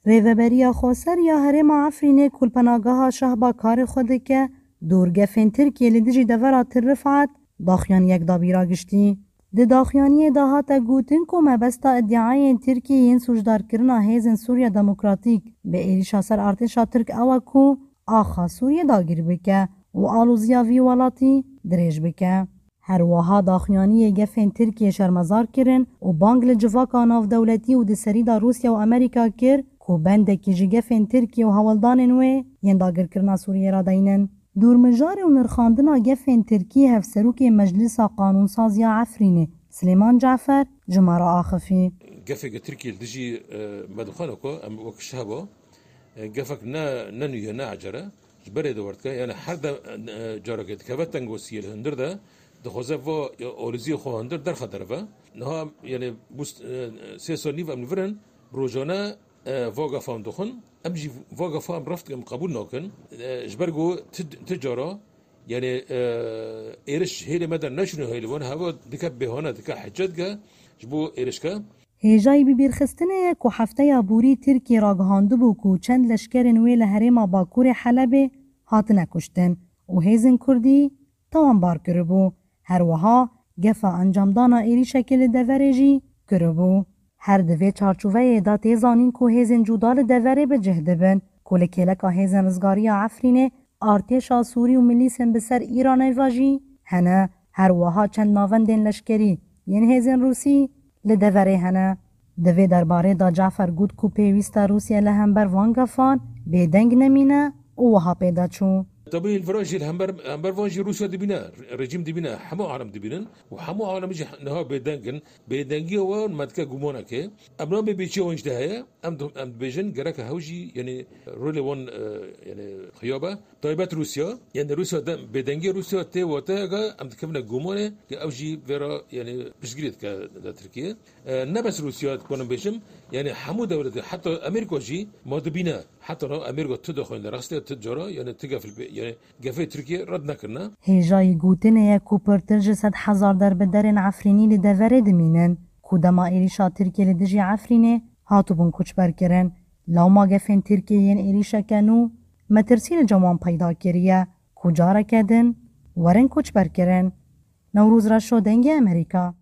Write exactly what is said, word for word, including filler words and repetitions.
Rêveberiya Xweser ya Herêma Efrînê ku li penageha Şehba karê xwe dike, dûr gefên Tirkiyê li dijî devera Til Rifat daxuyaniyek dabîra giştî. Di daxuyaniyê de hate gotin ku mebesta îdiayên Tirkiyê yên sûcdarkirina hêzên Sûriya Demokratîk bi êrîşa ser artêşa Tirk ew e ku axa Sûriyê dagir bike û alozîya vî welatî dirêj bike. Her wiha daxuyaniyê gefên Tirkiyê şermezar kirin û bang li civaka navdewletî û di serî de Rûsya û Amerîka kir ku bendekî ji gefên Tirkiyê û hewldanên wê yên dagirkirina Sûriyê radeynin. Dûrmijarê û nirxandina gefên Tirkî hevserokê Meclisa Qanûnsaz ya Efrînê Silêman Cafer ji me re axifî. Gefê ke Tirkiyê li dijî, e, me dixwene ku em wek şehba, e, gefek ne, ne nû ye, ne ecere. Ji berê de werdike. Yani her de, e, careke dikeve tengosiyê li hundir de, dixwaze va, e, oliziyê xwe hundir derxe derve. Niha, yani, bû, e, sê sal nîv em li vir in, rojane, e, va gefan dixwin. Em jî va gefa em reft dikin, em qebûl nakin. E, ji ber ku ti, ti cara, yani, e, êriş hêlê me de neçûne hêlê wan, heva dike bêhane, dike hece dike ji bo êrişke. Hêjayî bibîrxistinê ye ku hefteya borî Tirkiyê ragihandibû ku çend leşkerên wê li herêma Bakurê Helebê hatine kuştin û hêzên Kurdî tawanbar kiribû. Her wiha gefa encamdana êrîşekê li deverê jî kiribû. Her di vê çarçoveyê de tê zanîn ku hêzên cuda li deverê bi cih dibin ku li kêleka hêzên rizgariya Efrînê artêşa Sûrî û milîsên bi ser Îranê ve jî hene. Her wiha çend navendên leşkerî yên hêzên Rûsî li deverê hene. Di vê derbarê de Cafer got ku pêwîst e Rûsya li hember van gefan bêdeng nemîne û wiha pê de çû. Tabî li vir jî li hember, hember van jî Rûsya dibîne, rejîm dibîne, hemû alem dibînin û hemû alem jî niha bêdeng in. Bêdengiya wan me dike gumanekê. Em nabê bêçiya wan jî de heye. Em di-, em dibêjin gereke hew jî, yani, rolê wan, e, yani, xuya be. Taybet Rûsya, yani Rûsya de, bêdengiya Rûsya tê wateyeke em dikevine gumanê, ke ew jî vê re, yani, piştgirî dike li Tirkiye. E, ne bes Rûsya, dikarim bêjim, yani hemû dewletê, heta Amerîka jî ma dibîne, heta niha Amerîka tu dixwîne, rastê tu cara, yani tu gefil bê, yani gefê Tirkiye red nekirine. Hêjayî gotinê ye ku pirtir ji sed hezar derbiderên Efrînî li deverê dimînin, ku dema êrîşa Tirkiye li dijî Efrînê hatibûn koçberkirin. Lewma gefên Tirkiyê yên êrîşeke nû metirsî li cem wan peyda kiriye ku careke din werin koçberkirin. Newroz Reşo, Dengê Amerîka.